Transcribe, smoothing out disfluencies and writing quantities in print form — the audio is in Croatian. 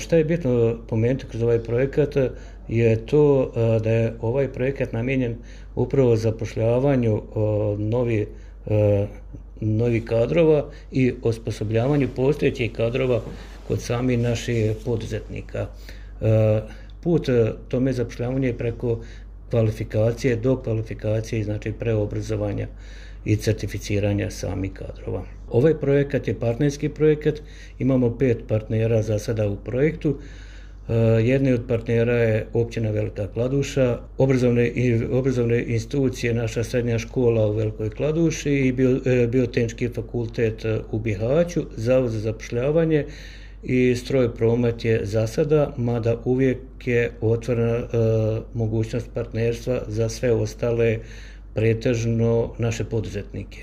Šta je bitno pomenuti kroz ovaj projekat je to da je ovaj projekat namijenjen upravo zapošljavanju novih kadrova i osposobljavanju postojećih kadrova kod samih naših poduzetnika. Put tome zapošljavanju je preko kvalifikacije do kvalifikacije, znači preobrazovanja i certificiranja samih kadrova. Ovaj projekat je partnerski projekat, imamo 5 partnera za sada u projektu. Jedni od partnera je općina Velika Kladuša, obrazovne institucije, naša srednja škola u Velikoj Kladuši i Biotehnički fakultet u Bihaću, Zavod za zapošljavanje i Stroj promet je za sada, mada uvijek je otvorena mogućnost partnerstva za sve ostale, pretežno naše poduzetnike.